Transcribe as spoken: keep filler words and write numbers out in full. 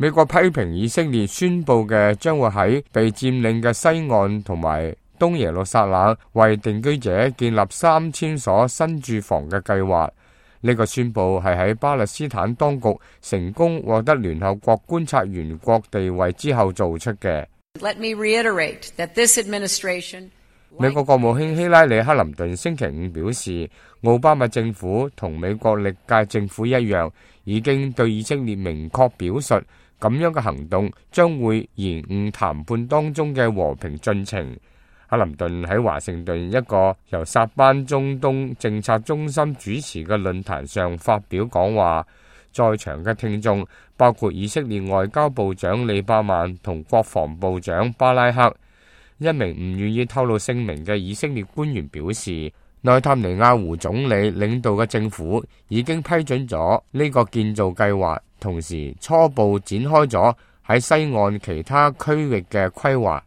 美國批評以色列宣佈嘅將會喺被佔領嘅西岸同埋東耶路撒冷為定居者建立三千所新住房嘅計劃。呢個宣佈係喺巴勒斯坦當局成功獲得聯合國觀察員國地位之後做出嘅。Let me reiterate that this administration美國國務卿希拉里克林頓星期五表示，奧巴馬政府同美國歷屆政府一樣，已經對以色列明確表述，咁樣嘅行動將會延誤談判當中嘅和平進程。克林頓喺華盛頓一個由薩班中東政策中心主持嘅論壇上發表講話，在場嘅聽眾包括以色列外交部長利伯曼同國防部長巴拉克。一名唔願意透露姓名嘅以色列官員表示，內塔尼亞胡總理領導嘅政府已經批准咗呢個建造計劃，同時初步展開咗喺西岸其他區域嘅規劃。